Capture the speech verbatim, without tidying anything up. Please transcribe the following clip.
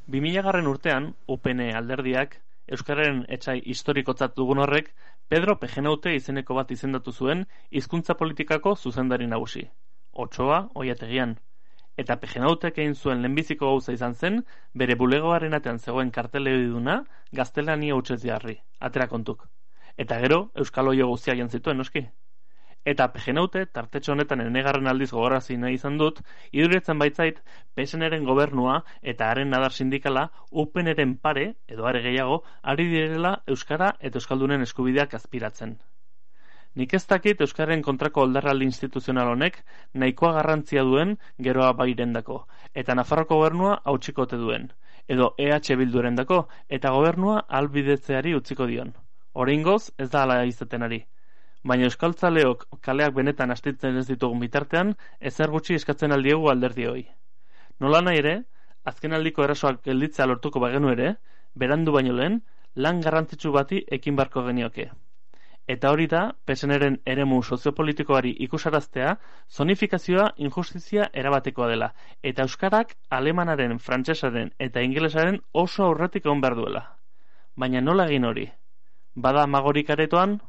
bi milagarren urtean, U P N alderdiak, Euskararen etsai historikotzat dugun horrek, Pedro Pejenaute izeneko bat izendatu zuen hizkuntza politikako zuzendari nagusi. Otsoa, oiategian. Eta Pejenautek egin zuen lehenbiziko gauza izan zen, bere bulegoaren atean zegoen karteleoiduna gaztelania hutsez jarri, atera kontuk. Eta gero, Euskal Oio guztia jan zituen, noski. Eta Pejenaute, tartetxo honetan enegarren aldiz gogorazi nahi izan dut, iduritzen baitzait, P S N-ren gobernua eta haren nadar sindikala U P N-ren pare, edo are gehiago, ari direla Euskara eta Euskaldunen eskubideak azpiratzen. Nik ez dakit Euskararen kontrako oldarraldi instituzional honek nahikoa garrantzia duen geroa bairendako, eta Nafarroko gobernua hautsikote duen, edo E H Bildurendako, eta gobernua albidetzeari utziko dion. Oraingoz ez da hala izaten ari. Baina euskaltzaleok kaleak benetan astitzen ez ditugun bitartean, ezer gutxi eskatzen aldiegu alderdioi. Nola nahi ere, azkenaldiko erasoak gelditzea lortuko bagenu ere, berandu baino lehen, lan garrantzitsu bati ekin barko genioke. Eta hori da, P S N-ren eremu soziopolitikoari ikusaraztea, zonifikazioa injustizia erabatekoa dela, eta euskarak alemanaren, frantsesaren eta ingelesaren oso aurretik egon behar duela. Baina nola egin hori? Bada amagorik aretoan?